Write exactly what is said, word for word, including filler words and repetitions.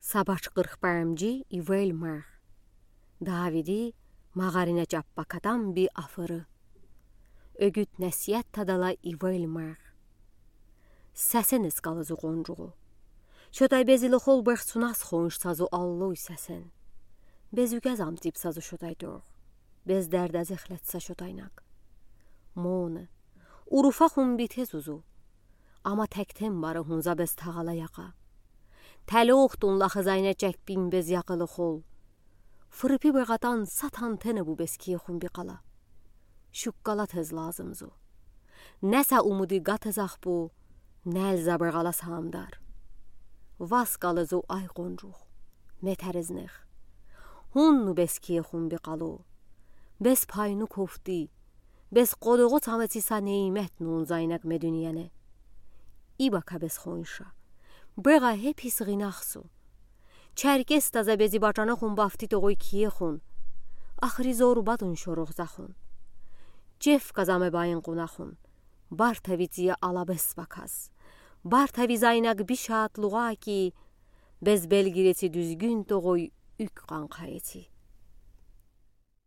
Сабач къырх бамжи ивел мех. Давиди мағаринэ чаппа катам би афыры. Ёгит несиет тадала ивел мех. Сесен эскалызу, къонжугу. Шотай безилы хол бехсунас хоншсазу аллой сесен. Безугез амтипсазу шотай дог. Без дердез эхлетса шотайнаг. Моны. Уруфа хун битез узу. Ама тектен бары хунза без тағала яха. Тэлохтун лахы зайна чекпин без яхылы хол. Фырыпи бегатан сатан тэнэ бу без кие хун би къала. Шуккала тез лазымзу. Неса умуди гатезах бу, нел забырғала самдар. Васкалызу ай, къонжух. Метеризнех. Хунну без кие хун би къалу. Без пайну кофти. Без къодуғу цамеци са нейметну унзайнаг ме дуниене. Ибака без хонша. Бега хепис гинахсу. Черкес таза бези бачана хун бафти тогой кие хун. Ахри зору бадун шорух захун. Чеф казаме баин къуна хун. Барта вицие алабес бакас. Барта визайнаг бишат луга ки, без белгиреци дуьзгюн тогой уьк къанқаеци.